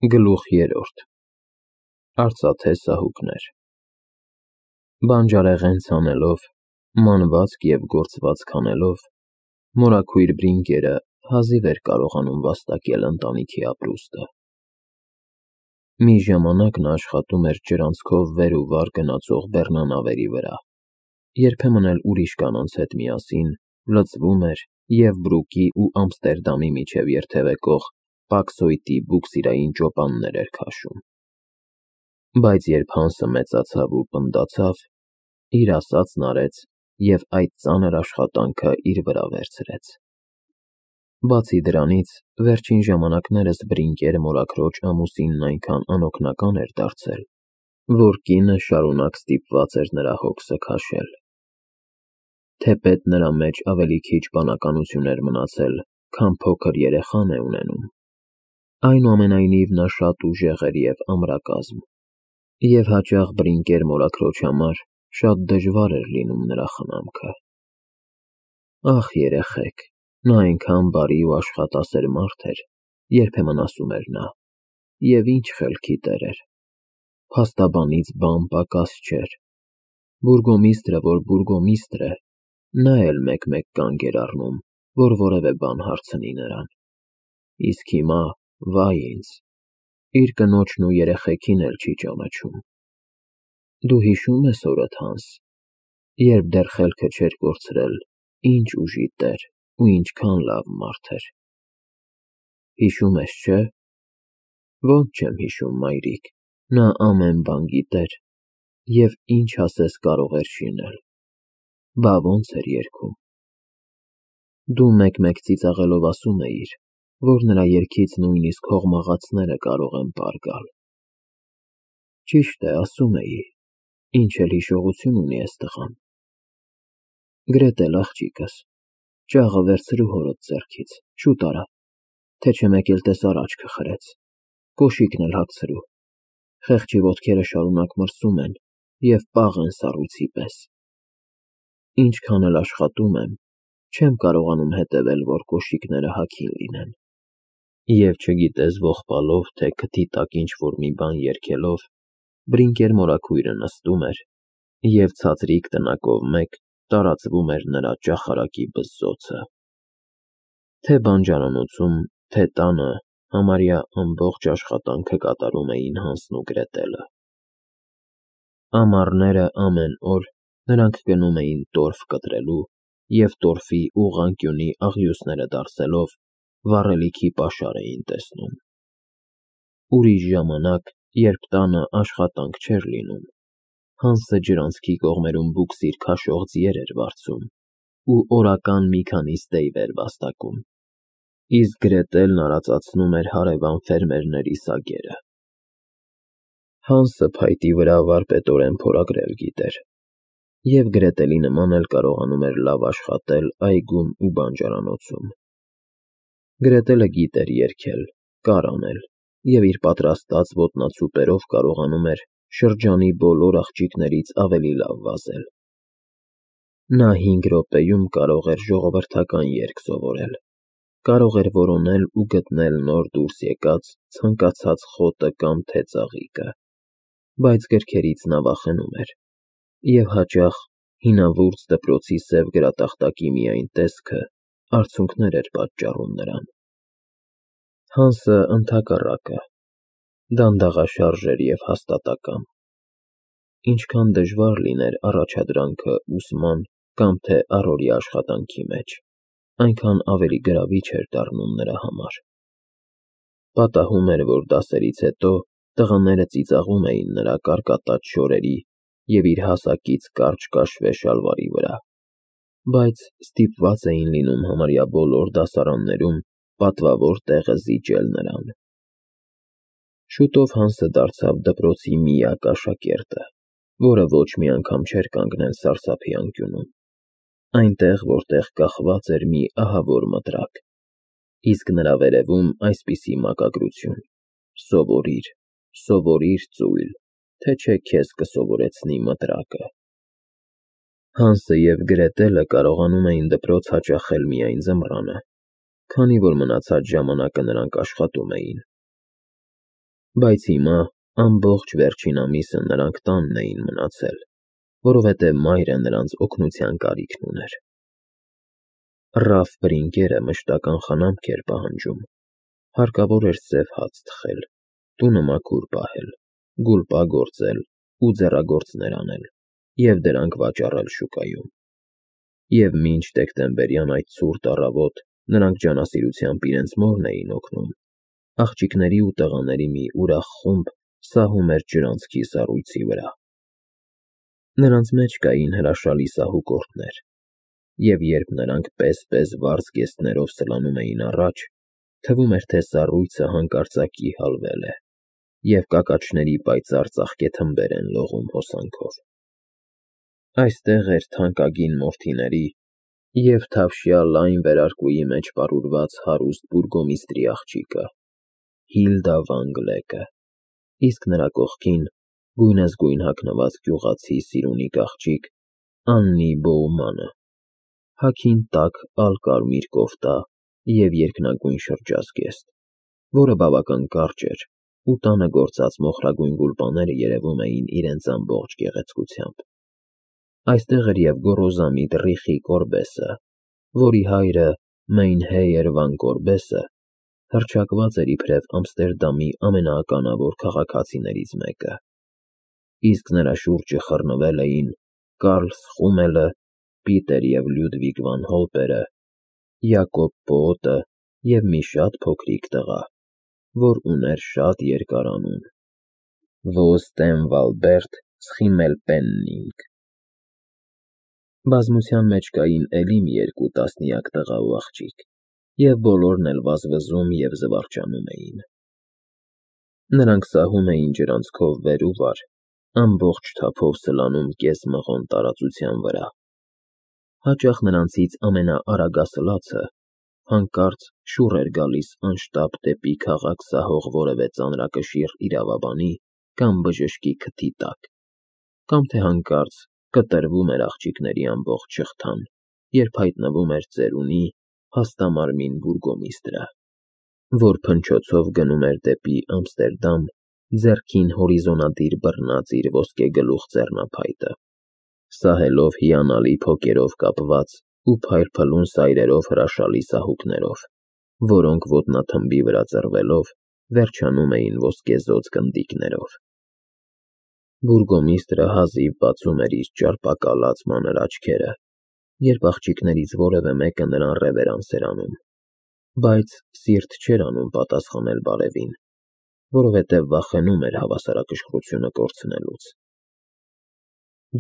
Գլուխ 3 Արծաթե սահուկներ Բանջարեղեն ցանելով, մանվածք և գործվածք անելով, մորաքույր Բրինգերը հազիվ էր կարողանում վաստակել ընտանիքի ապրուստը։ Մի ժամանակ նա աշխատում էր ջրանցքով վեր ու վար գնացող բեռնանավերի վրա, երբեմն էլ ուրիշ կանանց հետ միասին լծվում էր և Բրուկի ու Ամստերդամի միջև երթևեկող պակսոյտի բուքսիրային ճոպաններ էր քաշում։ Բայց երբ Հանսը մեծացավ ու պնդացավ, իր ասածն արեց և այդ ծանր աշխատանքը իր վրա վերցրեց։ Բացի դրանից, վերջին ժամանակներս Բրինգեր մորաքրոջ ամուսինն այնքան անօգնական էր դարձել, որ կինը շարունակ ստիպված էր նրա հոգսը քաշել։ Թեպետ նրա մեջ ավելի քիչ բանականություն էր մնացել, քան փոքր երեխան է ունենում, այնուամենայնիվ նա շատ ուժեղ էր և ամրակազմ, և հաճախ Բրինգեր մորաքրոջ համար շատ դժվար էր լինում նրա խնամքը։ Ախ, երեխեք, նա այնքան բարի ու աշխատասեր մարդ էր, երբեմն ասում էր նա, և ինչ խելքի տեր էր, փաստաբանից բան պակաս չէր, բուրգոմիստրը, որ բուրգոմիստր է, նա էլ մեկ-մեկ կանգ էր առնում, որ որևէ բան հարցնի նրան, իսկ հիմա, վայ ինձ, իր կնոջն ու երեխեքին էլ չի ճանաչում։ Դու հիշո՞ւմ ես հորդ, Հանս, երբ դեռ խելքը չէր կորցրել, ինչ ուժի տեր ու ինչքան լավ մարդ էր։ Հիշում ես, չէ՞։ Ոնց չեմ հիշում, մայրիկ, նա ամեն բան գիտեր և ինչ ասես կարող էր շինել։ Բա ոնց էր երգում։ Դու մեկ-մեկ ծիծաղելով ասում էիր, որ նրա երգից նույնիսկ հողմաղացները կարող են պար գալ։ Ճիշտ է, ասում էի, ինչ էլ հիշողություն ունի էս տղան։ Գրետել, աղջիկս, ճաղը վերցրու հորդ ձեռքից, շուտ արա, թե չէ մեկ էլ տեսար աչքը խրեց, կոշիկն էլ հագցրու, խեղճի ոտքերը շարունակ մրսում են և պաղ են սառույցի պես։ Ինչքան էլ աշխատում եմ, չեմ կարողանում հետևել, որ կոշիկները հագին լինեն։ Եվ չգիտես ողբալով, թե քթի տակ ինչ-որ մի բան երգելով, Բրինգեր մորաքույրը նստում էր, և ցածրիկ տնակով մեկ տարածվում էր նրա ճախարակի բզզոցը։ Թե բանջարանոցում, թե տանը համարյա ամբողջ աշխատանքը կատարում էին Հանսն ու Գրետելը։ Ամառները ամեն օր նրանք գնում էին տորֆ կտրելու և տորֆի ուղղանկյունի աղյուսները դարսելով վառելիքի պաշար էին տեսնում։ Ուրիշ ժամանակ, երբ տանը աշխատանք չէր լինում, Հանսը ջրանցքի կողմերում բուքսիր քաշող ձիեր էր վարձում ու օրական մի քանի ստեյվ էր վաստակում, իսկ Գրետելն արածացնում էր հարևան ֆերմերների սագերը։ Հանսը փայտի վրա վարպետորեն փորագրել գիտեր, և Գրետելի նման էլ կարողանում էր լավ աշխատել այգում ու բանջարանոցում։ Գրետելը գիտեր երգել, կար անել և իր պատրաստած ոտնացուպերով կարողանում էր շրջանի բոլոր աղջիկներից ավելի լավ վազել։ Նա 5 րոպեում կարող էր ժողովրդական երգ սովորել, կարող էր որոնել ու գտնել նոր դուրս եկած ցանկացած խոտը կամ թե ծաղիկը, բայց գրքերից նա վախենում էր, և հաճախ հինավուրց դպրոցի սև գրատախտակի միայն տեսքը արցունքներ էր պատճառում նրան։ Հանսը, ընդհակառակը, դանդաղաշարժ էր և հաստատակամ։ Ինչքան դժվար լիներ առաջադրանքը ուսման կամ թե առօրյա աշխատանքի մեջ, այնքան ավելի գրավիչ էր դառնում նրա համար։ Պատահում էր, որ դասերից հետո տղաները ծիծաղում էին նրա կարկատած շորերի և իր հասակից կարճ կաշվե շալվարի վրա, բայց ստիպված էին լինում համարյա բոլոր դասարաններում պատվավոր տեղը զիջել նրան։ Շուտով Հանսը դարձավ դպրոցի միակ աշակերտը, որը ոչ մի անգամ չէր կանգնել սարսափի անկյունում, այնտեղ, որտեղ կախված էր մի ահավոր մտրակ, իսկ նրա վերևում այսպիսի մակագրություն. «Սովորիր, սովորիր ծույլ, թե չէ քեզ կսովորեցնի մտրակը»։ Հանսը և Գրետելը կարողանում էին դպրոց հաճախել միայն ձմռանը, քանի որ մնացած ժամանակը նրանք աշխատում էին։ Բայց հիմա ամբողջ վերջին ամիսը նրանք տանն էին մնացել, որովհետև մայրը նրանց օգնության կարիքն ուներ։ Ռաֆ Բրինգերը մշտական խնամք էր պահանջում, հարկավոր էր սև հաց թխել, տունը մաքուր պահել, գուլպա գործել ու ձեռագործներ անել և դրանք վաճառել շուկայում։ Եվ մինչ դեկտեմբերյան այդ ցուրտ առավոտ նրանք ջանասիրությամբ իրենց մորն էին օգնում, աղջիկների ու տղաների մի ուրախ խումբ սահում էր ջրանցքի սառույցի վրա։ Նրանց մեջ կային հրաշալի սահուկորդներ, և երբ նրանք պես-պես վառ զգեստներով սլանում էին առաջ, թվում էր, թե սառույցը հանկարծակի հալվել է, և կակաչների պայծառ ծաղկե թմբեր են լողում հոսանքով։ Այստեղ էր թանկագին մորթիների և թավշյա լայն վերարկուի մեջ պարուրված հարուստ բուրգոմիստրի աղջիկը՝ Հիլդա վան Գլեկը, իսկ նրա կողքին գույնզգույն հագնված գյուղացի սիրունիկ աղջիկ Աննի Բոումանը, հագին տաք ալկարմիր կոֆտա և երկնագույն շրջազգեստ, որը բավական կարճ էր, ու տանը գործած մոխրագույն գուլպաները երևում էին իրենց ամբողջ գեղեցկությամբ։ Այստեղ էր և գոռոզամիտ Ռիխի Կորբեսը, որի հայրը Մեյնհեյեր վան Կորբեսը հռչակված էր իբրև Ամստերդամի ամենաականավոր քաղաքացիներից մեկը, իսկ նրա շուրջը խռնվել էին Կարլ Սխումելը, Պիտեր և Լյուդվիգ վան Հոլպերը, Յակոբ Պոոտը և մի շատ փոքրիկ տղա, որ ուներ շատ երկար անուն՝ Ոստենվալբերտ Սխիմելպեննինգ։ Բազմության մեջ կային էլի մի երկու տասնյակ տղա ու աղջիկ, և բոլորն էլ վազվզում և զվարճանում էին։ Նրանք սահում էին ջրանցքով վեր ու վար, ամբողջ թափով սլանում կես-մղոն տարածության վրա։ Հաճախ նրանցից ամենաարագասլացը հանկարծ շուռ էր գալիս անշտապ դեպի քաղաք սահող որևէ ծանրակշիռ իրավաբանի կամ բժշկի քթի տակ, կամ թե հանկարծ կտրվում էր աղջիկների ամբողջ շղթան, երբ հայտնվում էր ծերունի հաստամարմին բուրգոմիստրը, որ փնչոցով գնում էր դեպի Ամստերդամ, ձեռքին հորիզոնադիր բռնած իր ոսկեգլուխ ձեռնափայտը, սահելով հիանալի փոկերով կապված ու փայլփլուն սայրերով հրաշալի սահուկներով, որոնք ոտնաթմբի վրա ծռվելով վերջանում էին ոսկեզօծ գնդիկներով։ Բուրգոմիստրը հազիվ բացում էր իր ճարպակալած մանր աչքերը, երբ աղջիկներից որևէ մեկը նրան ռևերանս էր անում, բայց սիրտ չէր անում պատասխանել բարևին, որովհետև վախենում էր հավասարակշռությունը կորցնելուց։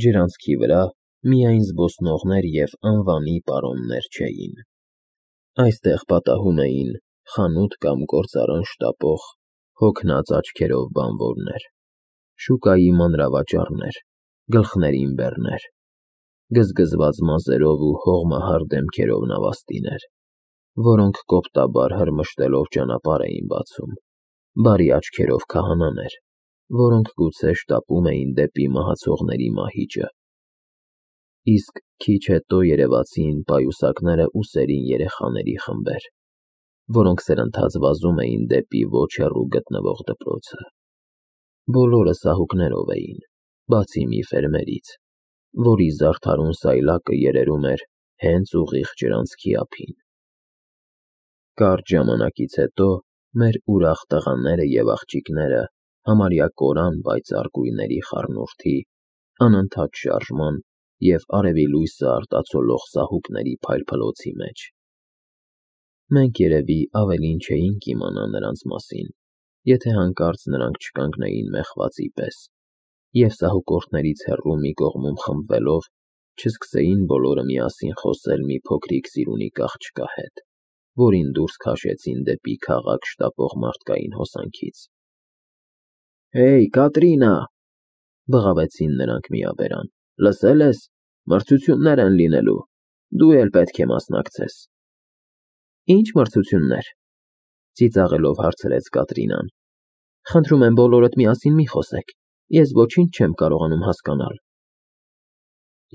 Ջրանցքի վրա միայն զբոսնողներ և անվանի պարոններ չէին։ Այստեղ պատահում էին խանութ կամ գործարան շտապող, հոգնած աչքերով բանվորներ, շուկայի մանրավաճառներ, գլխներին բեռներ, գզգզված մազերով ու հողմահար դեմքերով նավաստիներ, որոնք կոպտաբար հրմշտելով ճանապարհ էին բացում, բարի աչքերով քահանաներ, որոնք գուցե շտապում էին դեպի մահացողների մահիճը, իսկ քիչ հետո երևացին պայուսակները ուսերին երեխաների խմբեր, որոնք սրընթաց վազում էին դեպի ոչ հեռու գտնվող դպրոցը։ Բոլորը սահուկներով էին, բացի մի ֆերմերից, որի զարդարուն սայլակը երերում էր հենց ուղիղ ջրանցքի ափին։ Կարճ ժամանակից հետո մեր ուրախ տղաները և աղջիկները համարյա կորան պայծառ գույների խառնուրդի, անընդհատ շարժման և արևի լույսը արտացոլող սահուկների փայլփլոցի մեջ։ Մենք երևի ավելին չէինք իմանա նրանց մասին, եթե հանկարծ նրանք չկանգնեին մեխվածի պես, և սահուկորդներից հեռու մի կողմում խմբվելով չսկսեին բոլորը միասին խոսել մի փոքրիկ սիրունիկ աղջկա հետ, որին դուրս քաշեցին դեպի քաղաք շտապող մարդկային հոսանքից։ «Հեյ, Կատրինա,֊ բղավեցին նրանք միաբերան,֊ լսել ես, մրցություններ են լինելու, դու էլ պետք է մասնակցես»։ «Ի՞նչ մրցություններ,֊ ծիծաղելով հարցրեց Կատրինան։ Խնդրում եմ բոլորդ միասին մի խոսեք, ես ոչինչ չեմ կարողանում հասկանալ»։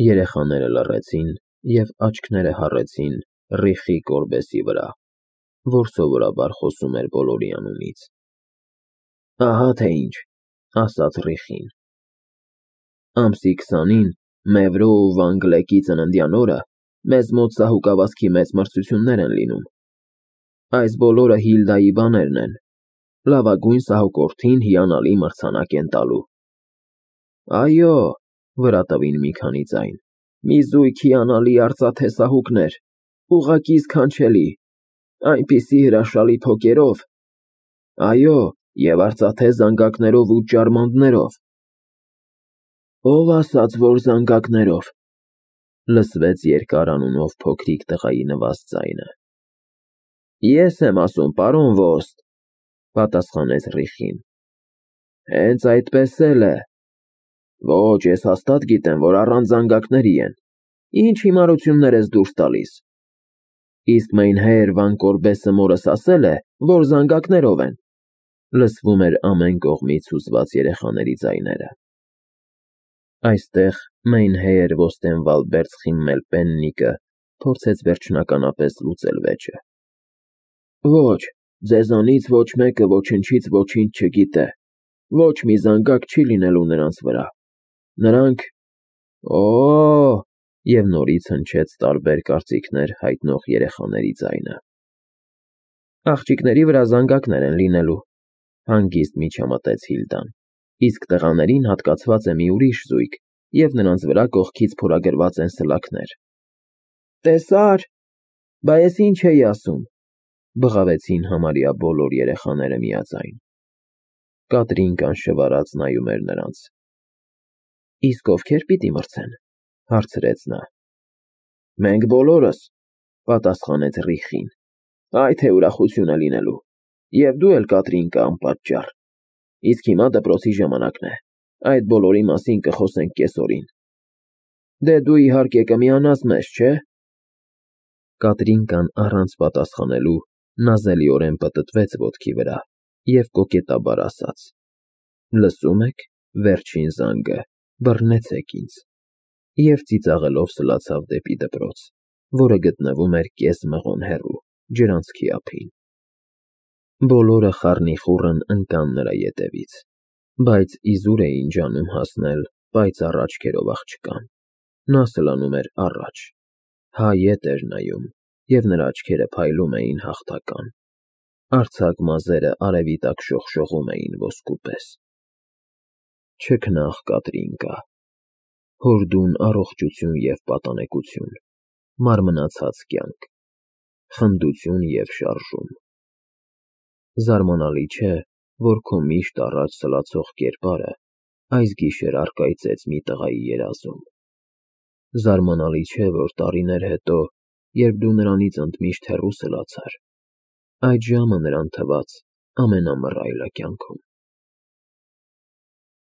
Երեխաները լռեցին և աչքները հառեցին Ռիխի Կորբեսի վրա, որ սովորաբար խոսում էր բոլորի անունից։ Ահա թե ինչ, ասաց Ռիխին։ Ամսի 20-ին Մևրո ու Վանգլեկի ծննդյան օրը մեզ մոտ սահուկավազքի մեծ մրցություններ են լինում։ Այս բոլորը Հիլդայի բաներն են։ Լավագույն սահուկորդին հիանալի մրցանակ են տալու։ Այո, վրա տվին մի քանի ձայն, մի զույգ հիանալի արծաթե սահուկներ, ուղղակի սքանչելի, այնպիսի հրաշալի թոկերով, այո, և արծաթե զանգակներով ու ճարմանտներով։ Ով ասաց, որ զանգակներով, լսվեց երկար անունով փոքրիկ տղայի նվազ ձայնը։ Ես եմ ասում, պարոն Ոստը, պատասխանեց Ռիխին։ Հենց այդպես էլ է։ Ոչ, ես հաստատ գիտեմ, որ առանց զանգակների են։ Ինչ հիմարություններ ես դուրս տալիս։ Իսկ Մեյնհեյր Վան Կորբեսը մորս ասել է, որ զանգակներով են։ Լսվում էր ամեն կողմից հուզված երեխաների ձայները։ Այստեղ Մեյնհեյր Ոստենվալդբերձ Խիմմելպեննիկը փորձեց վերջնականապես լուծել վեճը։ Ոչ, ձեզանից ոչ մեկը ոչնչից ոչինչ չգիտե, ոչ մի զանգակ չի լինելու նրանց վրա, նրանք… Օ՜, և նորից հնչեց տարբեր կարծիքներ հայտնող երեխաների ձայնը։ Աղջիկների վրա զանգակներ են լինելու, հանգիստ միջամտեց Հիլդան, իսկ տղաներին հատկացված է մի ուրիշ զույգ, և նրանց վրա կողքից փորագրված են սլաքներ։ Տեսա՞ր, բա ես ինչ էի ասում, բղավեցին համարյա բոլոր երեխաները միաձայն։ Կատրինկան շվարած նայում էր նրանց։ Իսկ ովքեր պիտի մրցեն, հարցրեց նա։ Մենք բոլորս, պատասխանեց Ռիխին։ Այ թե ուրախություն է լինելու։ Եվ դու էլ, Կատրինկա, անպատճառ։ Իսկ հիմա դպրոցի ժամանակն է։ Այդ բոլորի մասին կխոսենք կեսօրին։ Դե դու իհարկե կմիանաս մեզ, չէ՞։ Կատրինկան առանց պատասխանելու նազելիորեն պտտվեց ոտքի վրա և կոկետաբար ասաց. Լսում եք, վերջին զանգը, բռնեցեք ինձ, և ծիծաղելով սլացավ դեպի դպրոց, որը գտնվում էր կես մղոն հեռու, ջրանցքի ափին։ Բոլորը խառնիխուռն ընկան նրա ետևից, բայց իզուր էին ջանում հասնել պայծառ աչքերով աղջկան։ Նա սլանում էր առաջ, հա ետ էր նայում, և նրա աչքերը փայլում էին հաղթական։ Արձակ մազերը արևի տակ շողշողում էին ոսկու պես։ Չքնաղ, Կատրինկա, հորդուն առողջություն և պատանեկություն, մարմնացած կյանք, խնդություն և շարժում։ Զարմանալի չէ, որ քո միշտ առաջ սլացող կերպարը այս գիշեր առկայծեց մի տղայի երազում։ Զարմանալի չէ, որ տարիներ հետո, երբ դու նրանից ընդմիշտ հեռու սլացար, այդ ժամը նրան թվաց ամենամռայլը կյանքում։